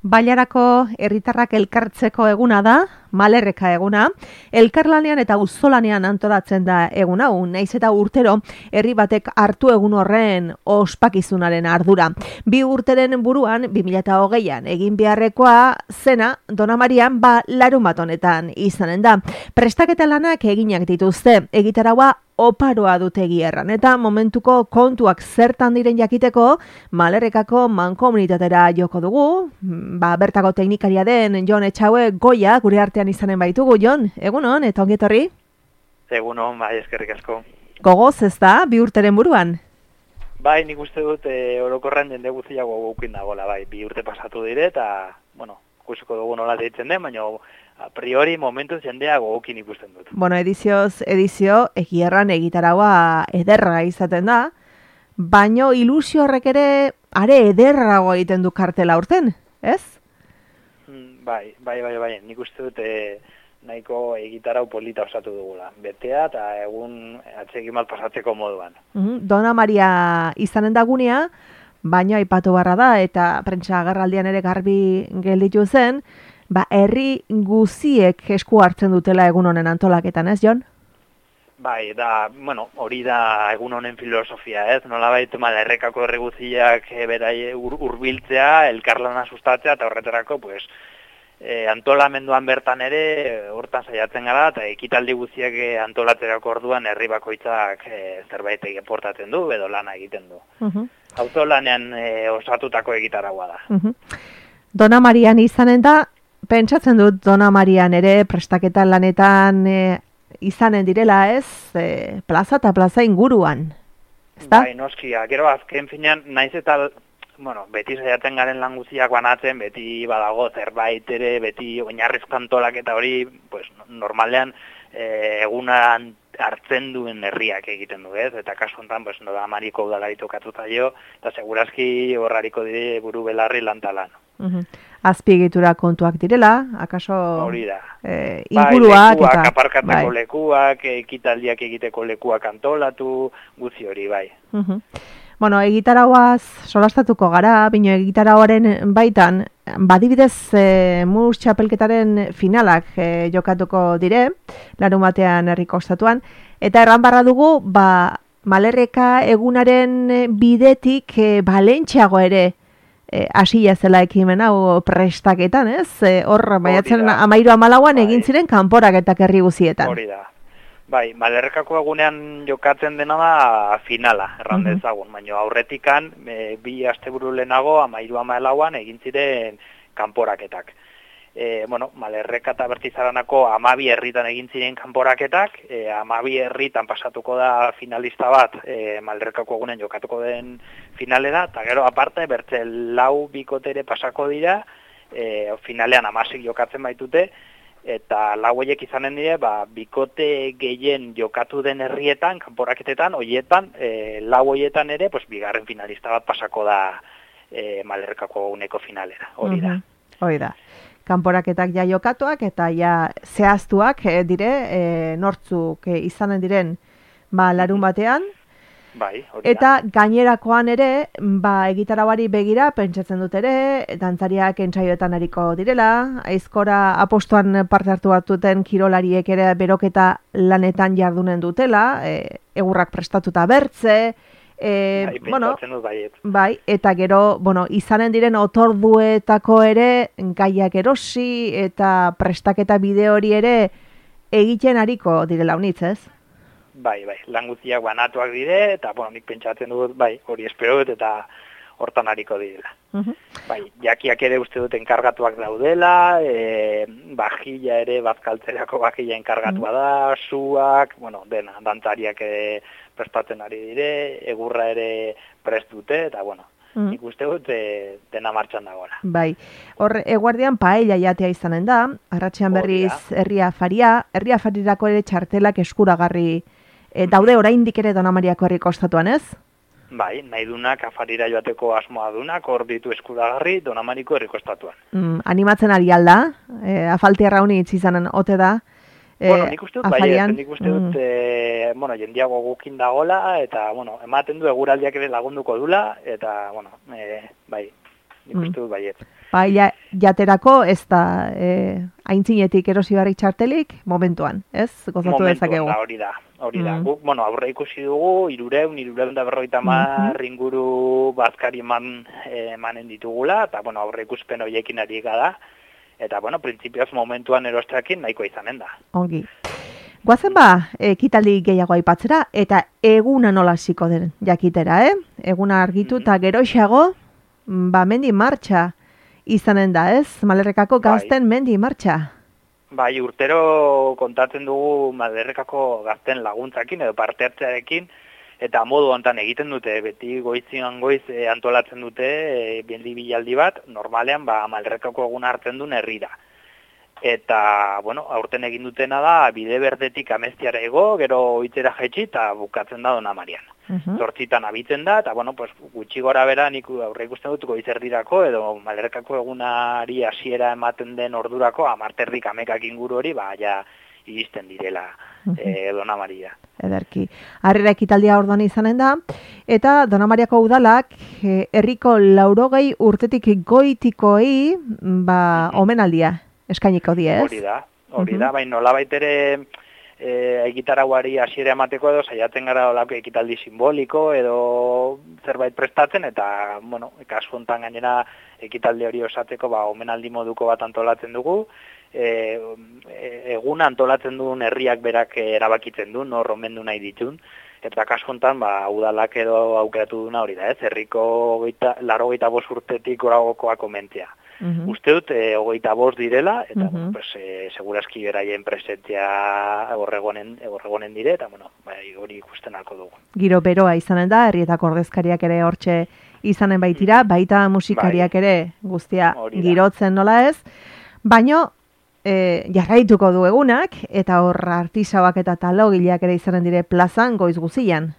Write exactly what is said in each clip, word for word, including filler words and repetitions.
Bailarako herritarrak elkartzeko eguna da, Malerreka eguna, elkarlanean eta auzolanean antolatzen da egun hau, naiz eta urtero herri batek hartu egun horren ospakizunaren ardura. Bi urteren buruan, bi mila hogeian egin beharrekoa zena Dona Marian ba larunbat honetan izanen da. Prestaketa lanak eginak dituzte, egitaraua oparoa dute gierran, eta momentuko kontuak zertan diren jakiteko Malerrekako mankomunitatera joko dugu, ba, bertako teknikaria den Jon Etxaue Goia gure artean izanen baitugu. Jon, egunon, eta ongi etorri? Egunon, bai, eskerrik asko. Gogoz ez da, bi urteren buruan? Bai, nik uste dut e, orokorren jende guztiago gukin dagoela, bai, bi urte pasatu dire, eta, bueno, ikusiko dugu nola deitzen den, baina a priori momentuz jendea gogokin ikusten dut. Bueno, edizioz, edizio, egierran egitaraua ederra izaten da, baino ilusio horrek ere are ederrago egiten du kartela urten, ez? Mm, bai, bai, bai, bai, nik uste dut e, nahiko egitarau polita osatu dugula. Betea eta egun atsegin bat pasatzeko moduan. Mm, Dona Maria izanen dagunea, baina aipatu barra da, eta prentsa agerraldian ere garbi gelditu zen, ba, herri guziek esku hartzen dutela egun honen antolaketan, ez, Jon? Bai, da, bueno, hori da egun honen filosofia, ez? Nolabait Malerrekako herri guziak e, berai ur, urbiltzea, elkarlana sustatzea, eta horretarako, pues, e, antolamenduan bertan ere, hortan saiatzen gara, eta ekitaldi guziak e, antolatzerako orduan herri bakoitzak e, zerbait eportatzen du, edo lana egiten du. Uh-huh. Auzolanean e, osatutako egitaragua da. Uh-huh. Dona Marian izanen da, pentsatzen dut Dona Marian ere prestaketa lanetan e, izanen direla, ez, e, plaza eta plaza inguruan, ezta? Bai, noskia, gero azken finean, naiz eta, bueno, beti saiatzen garen lan guztiak banatzen, beti badago zerbait ere, beti oinarrizko antolak eta hori, pues, normalean e, egunan hartzen duen herriak egiten du, ez? Eta kasu honetan, pues, Dona Mariko udalari tokatuta jo, eta segurazki horrariko dire buru belarri lantalan. Uh-huh. Azpiegitura kontuak direla, akaso hori da. E, inguruak, bai, lekuak, eta aparkatzeko bai. lekuak, ekitaldiak egiteko lekuak antolatu, guzti hori, bai. Uh-huh. Bueno, egitarauaz solastatuko gara, bino egitarauaren baitan, badibidez e, mus txapelketaren finalak e, jokatuko dire, larun batean herriko ostatuan, eta erran barra dugu, ba, Malerreka egunaren bidetik e, balentxeago ere hasia zela ekimen hau prestaketan, ez? Hor, baiatzen amairu amalauan bai. Egin ziren kanporaketak herri guzietan. Hori da. Bai, Malerrekako egunean jokatzen dena da finala, erran uh-huh. dezagun, baina aurretikan e, bi asteburu lehenago amairu amalauan egin ziren kanporaketak. E, bueno, Malerreka eta Bertizaranako amabi herritan egin ziren kanporaketak, e, amabi herritan pasatuko da finalista bat, e, Malerrekako egunen jokatuko den finalera, eta gero aparte bertze lau bikotere pasako dira, e, finalean amasik jokatzen baitute, eta lau horiek izanen dire, ba, bikote gehien jokatu den herrietan, kanporaketetan, horietan, e, lau horietan ere, pues, bigarren finalista bat pasako da e, Malerrekako eguneko finalera, hori da. Uh-huh. Hori da. Kanporaketak ja jokatuak eta ja zehaztuak e, dire, e, nortzuk e, izanen diren ba, larun batean. Bai, hori da. Eta gainerakoan ere, ba, egitarauari begira, pentsatzen dut ere, dantzariak entsaioetan ariko direla, aizkora apostuan parte hartu batuten kirolariek ere beroketa lanetan jardunen dutela, e, egurrak prestatuta bertze, E, bai, bueno, dut baiet. Bai, eta gero, bueno, izanen diren otorduetako ere gaiak erosi eta prestaketa bideo hori ere egiten ariko direla unitz, ez? Bai, bai, lan guztiak banatuak dire, eta, bueno, nik pentsatzen dut, bai, hori espero dut, eta hortan ariko direla. Uh-huh. Bai, jakiak ere uste dut enkargatuak daudela, e, bajilla ere, bazkaltzerako bajilla enkargatua da, suak, bueno, dena, dantzariak ere prestatzen ari dire, egurra ere prest dute, eta, bueno, mm. nik uste dut e, dena martxan dagoela. Bai, hor, eguardian paella jatea izanen da, arratsean berriz herria afaria, herria afarirako ere txartelak eskuragarri e, daude oraindik ere Dona Mariako herriko ostatuan, ez? Bai, nahi dunak afarira joateko asmoa dunak, hor ditu eskuragarri Dona Mariko herriko estatuan. Mm, animatzen ari alda, e, afaltiarra honi itzizanen ote da, E, bueno, nik uste dut, bai, nik uste dut, mm. e, bueno, jendiago gukin dagola, eta, bueno, ematen du eguraldiak ere lagunduko dula, eta, bueno, e, bai, nik uste dut, baiet. Paella jaterako ez da e, aintzinetik erosi barrik txartelik momentuan, ez? Gozatu dezakegu. Momentuan da, hori da. Hori da. Mm. Guk, bueno, aurre ikusi dugu, irureun, irureun da berroita mar mm-hmm. inguru bazkari eman, emanen ditugula, eta, bueno, aurre ikuspen horiekin ari gara, eta, bueno, printzipioz momentuan erosteakin nahiko izanen da. Ongi. Guazen ba, ekitaldi gehiago aipatzera, eta eguna nola hasiko den jakitera, eh? Eguna argitu eta mm-hmm. geroxeago, ba, mendi martxa izanen da, ez? Malerrekako gazten bai. Mendi martxa. Bai, urtero kontatzen dugu Malerrekako gazten laguntzakin edo parte hartzearekin, eta modu hontan egiten dute, beti goizian goiz e, antolatzen dute e, bendi bilaldi bat, normalean ba, Malerrekako eguna hartzen duen herrira. Eta, bueno, aurten egin dutena da, bide berdetik ameztiara ego, gero oitzera jaitsi, eta bukatzen da Dona Marian. Uh-huh. Zortzitan abitzen da, eta, bueno, pues, gutxi gora bera nik aurre ikusten dut goizerdirako, edo Malerrekako egunari hasiera ematen den ordurako, amarterdik amekak inguru hori, ba, ja, iristen direla uh-huh. e, Dona Maria. Ederki. Harrera ekitaldia orduan izanen da, eta Dona Mariako udalak, herriko laurogei urtetik goitikoei, ba, uh-huh. omenaldia eskainiko die, ez? Hori da, hori da, uh-huh. baina nolabait ere e, egitarauari hasiera emateko edo saiatzen gara olako ekitaldi simboliko edo zerbait prestatzen, eta, bueno, kasu hontan gainera ekitaldi hori osateko, ba, omenaldi moduko bat antolatzen dugu, e, egun antolatzen duen herriak berak erabakitzen du, nor omendu nahi ditun, eta kasu hontan, ba, udalak edo aukeratu duna hori da, ez? Herriko laro geita bost urtetik goragokoak omentzea. Uh-huh. Uste dut, e, hogeita bost direla, eta, uh-huh. bueno, pues, e, segurazki beraien presentzia horregonen, horregonen dire, eta, bueno, bai, hori ikusten alko dugu. Giro beroa izanen da, herrietako ordezkariak ere hortxe izanen baitira, baita musikariak bai. Ere guztia girotzen nola ez, baino, e, jarraituko du egunak, eta hor artisauak eta talogileak ere izanen dire plazan goiz guzian.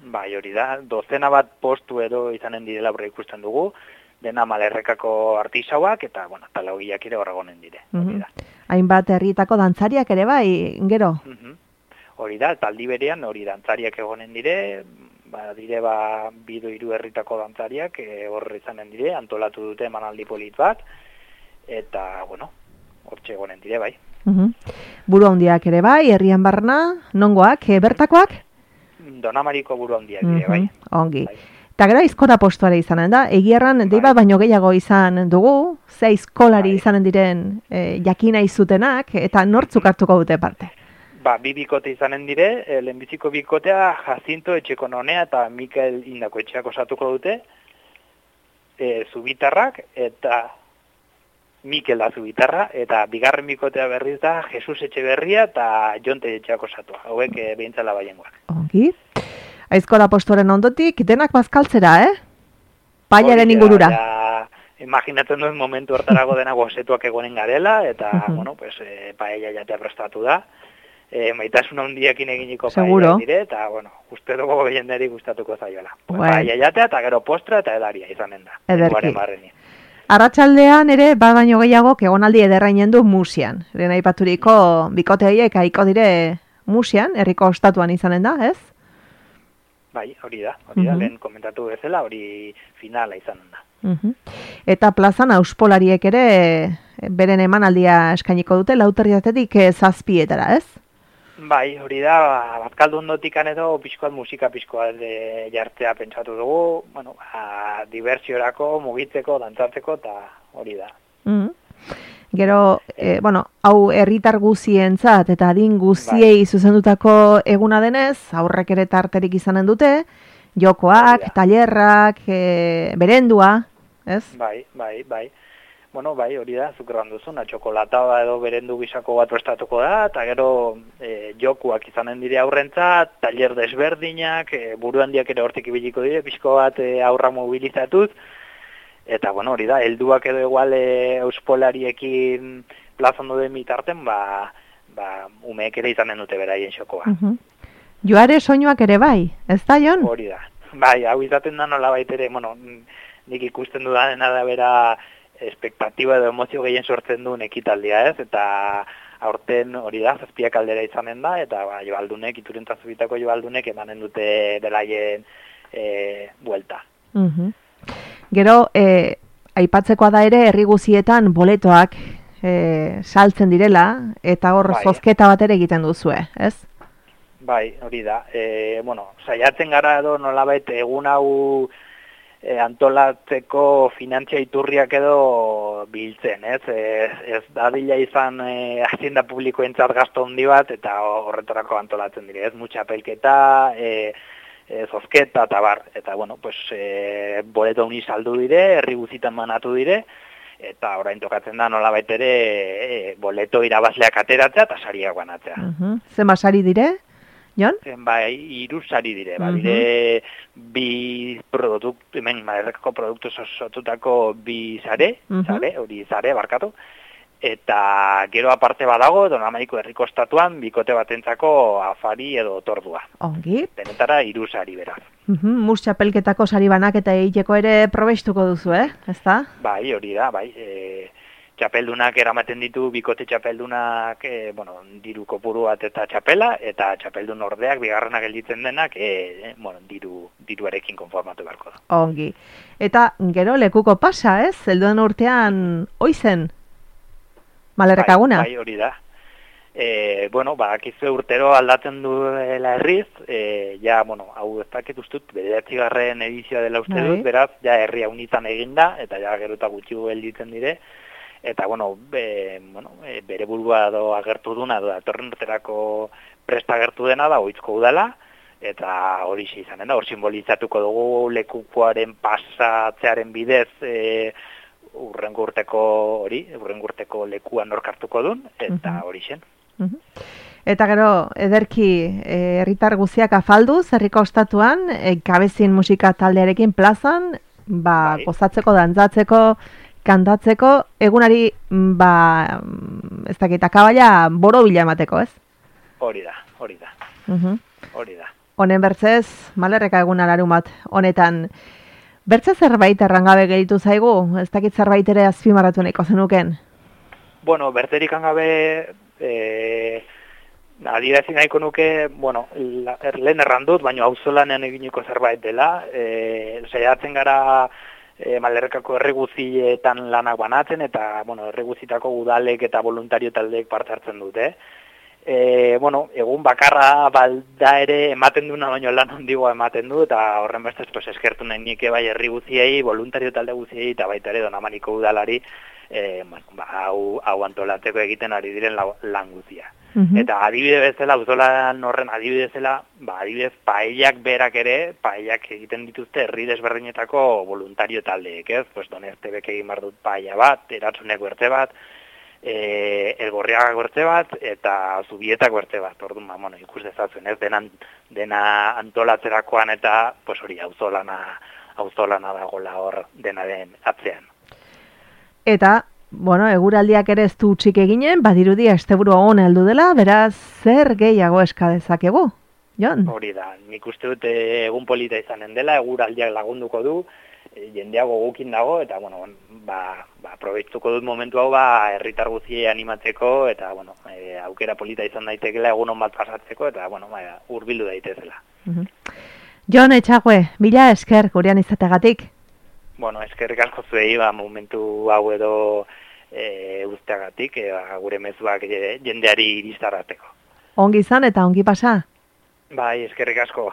Bai, hori da, dozena bat postu edo izanen direla aurre ikusten dugu, dena Malerrekako artisauak eta, bueno, talogiak ere horregonen dire. Hori da. Uh-huh. Hainbat herrietako dantzariak ere bai, gero? Uh-huh. Hori da, taldi berean hori dantzariak egonen dire, ba, dire ba, bido hiru herritako dantzariak e, horre izanen dire, antolatu dute emanaldi polit bat, eta, bueno, hortxe egonen dire bai. Uh-huh. Buru handiak ere bai, herrian barna, nongoak, e, bertakoak? Dona Mariko buru handiak dire uh-huh. bai. Ongi. Bai. Eta gero aizkora postuare izanen da, egierran bai. Deibat baino gehiago izan dugu, ze aizkolari bai. Izanen diren e, jakina izutenak, eta nortzuk hartuko dute parte? Ba, bi bikote izanen dire, e, lehenbiziko bikotea Jacinto Etxekononea eta Mikel Indako etxeak osatuko dute, e, Zubitarrak eta Mikel da Zubitarra, eta bigarren bikotea berriz da Jesus Etxeberria eta Jonte etxeak osatua, hauek e, behintzala baiengoak. Ongi. Aizkola postuaren ondotik, denak bazkaltzera, eh? Paellaren ingurura. Ja, imaginatzen duen momentu hortarago denak gozetuak egonen garela, eta, uh-huh. bueno, pues, e, paella jatea prestatu da. E, maitasun handiakin eginiko paella dire, eta, bueno, uste dugu jenderi gustatuko zaiola. Pues, paella jatea, eta gero postra eta edaria izanen da. Ederki. Arratsaldean ere, badaino gehiago, egonaldi ederrainen du Musian. Lehen aipaturiko bikoteaiek aiko dire Musian, herriko ostatuan izanen da, ez? Bai, hori da, hori da, uh-huh. lehen komentatu bezala, hori finala izanen da. Uh-huh. Eta plazan auspolariek ere beren emanaldia eskainiko dute, lauterriatetik zazpietara, ez? Bai, hori da, batkaldu ondotikan edo pixkoat musika pixkoat e, jartzea pentsatu dugu, bueno, a, diversiorako, mugitzeko, dantzatzeko, eta hori da. Uh-huh. Gero, e, bueno, hau herritar guzientzat eta adin guziei bai. Zuzendutako eguna denez, aurrek ere tarterik izanen dute, jokoak, tailerrak, e, berendua, ez? Bai, bai, bai. Bueno, bai, hori da, zuk erran duzuna, txokolata edo berendu bisako bat prestatuko da, eta gero e, jokuak izanen dire aurrentzat, tailer desberdinak, e, buru handiak ere hortik ibiliko dire, pixko bat e, aurra mobilizatuz, eta, bueno, hori da, helduak edo egual e, euspolariekin plazandu den bitarten, ba, ba, umeek ere izanen dute beraien xokoa. Uh-huh. Joare soinuak ere bai, ez da, Jon? Hori da. Bai, hau izaten da nola baitere, bueno, nik ikusten dudanena da bera espektatiba edo emozio gehien sortzen duen ekitaldia, ez? Eta aurten hori da, zazpiak aldera izanen da, eta ba, joaldunek, iturentazubitako joaldunek emanen dute beraien e, buelta. Uh-huh. Gero, e, aipatzekoa da ere herri guzietan boletoak e, saltzen direla, eta hor bai. zozketa bat ere egiten duzue, ez? Bai, hori da. E, bueno, saiatzen gara edo nolabait egun hau e, antolatzeko finantzia iturriak edo biltzen, ez? Ez, ez dadila izan e, hazienda publikoentzat gasto handi bat, eta horretarako antolatzen dire, ez? Mutxapelketa, e, e, zozketa, eta bar. Eta, bueno, pues, e, boleto honi saldu dire, herri guzitan manatu dire, eta orain tokatzen da nolabait ere e, boleto irabazleak ateratzea eta sariak banatzea. Uh-huh. Zema sari dire? Jon? Bai, hiru sari dire, ba, dire bi produktu, hemen Malerrekako produktu sortutako bi sare, uh-huh. sare, hori sare, barkatu, eta gero aparte badago, Donamaiko herriko estatuan, bikote batentzako afari edo tordua. Ongi. Denetara hiru sari beraz. Uh-huh. Mus txapelketako sari banak eta egiteko ere probestuko duzu, eh? Ezta? Bai, hori da, bai, e, txapeldunak eramaten ditu, bikote txapeldunak, e, bueno, diru kopuru bat eta txapela, eta txapeldun ordeak, bigarrenak gelditzen denak, e, e, bueno, diru, diruarekin konformatu beharko da. Ongi. Eta gero lekuko pasa, ez? Zelduen urtean oizen? Malerrekaguna? Bai, bai, hori da. E, bueno, badakizu urtero aldatzen duela herriz, e, ja, bueno, hau ez dakit ustut, bederatzigarren edizioa dela uste dut, beraz, ja herria unitan eginda, eta ja gero eta gutxi gelditzen dire, eta, bueno, be, bueno e, bere burua do agertu duna, do datorren urterako presta agertu dena da, oitzko udala, eta hori izanen da, hor simbolizatuko dugu lekukoaren pasatzearen bidez, e, urrengo urteko hori, urrengo urteko lekuan norkartuko dun, eta uh-huh. hori zen. Uh-huh. Eta gero, ederki, herritar e, guziak afalduz, herriko ostatuan, e, kabezin musika taldearekin plazan, ba, bai. Gozatzeko, dantzatzeko, kantatzeko, egunari, ba, ez dakit, akabaila boro bila emateko, ez? Hori da, hori da, uh-huh. hori da. Honen bertzez, Malerreka eguna larun bat, honetan, bertze zerbait errangabe gehitu zaigu, ez dakit zerbait ere azpimarratu nahiko zenuken? Bueno, berterik angabe, e, adirazi nahiko nuke, bueno, la, er, lehen errandut, baina auzolanean eginiko zerbait dela, e, saiatzen gara e, Malerrekako herri guzietan lanak banatzen, eta, bueno, herri guzitako udalek eta voluntario taldeek parte hartzen dute. E, bueno, egun bakarra balda ere ematen duna baino lan handigoa ematen du, eta horren bestez pues, eskertu nahi nike bai herri guziei, voluntario talde guziei, eta baita ere Donamaniko udalari, e, bueno, ba, hau, hau antolatzeko egiten ari diren la, lan guzia. Uh-huh. Eta adibide bezala, auzolan horren adibide bezala, ba, adibidez paellak berak ere, paellak egiten dituzte herri desberdinetako voluntario taldeek, ez? Pues Donestebek egin bar dut paella bat, Eratzunek bertze bat, E, Elgorriaga gortze bat eta Zubietak gortze bat. Orduan, ba, bueno, ikus dezatzen, ez dena, dena antolatzerakoan eta pues hori auzolana, auzolana dagoela hor dena den atzean. Eta, bueno, eguraldiak ere ez du txik eginen, badirudi asteburu on heldu dela, beraz zer gehiago eska dezakegu? Jon? Hori da, nik uste dut egun polita izanen dela, eguraldiak lagunduko du, jendeago gukin dago, eta, bueno, ba, ba aprobetzuko dut momentu hau, ba, herritar guziei animatzeko, eta, bueno, e, aukera polita izan daitekela egun on bat pasatzeko, eta, bueno, ba, hurbildu daitezela. Uh-huh. Jon Etxague, bila esker gurean izategatik? Bueno, eskerrik asko zuei, ba, momentu hau edo e, usteagatik, e, ba, gure mezuak jendeari iristarrateko. Ongi izan eta ongi pasa? Bai, eskerrik asko.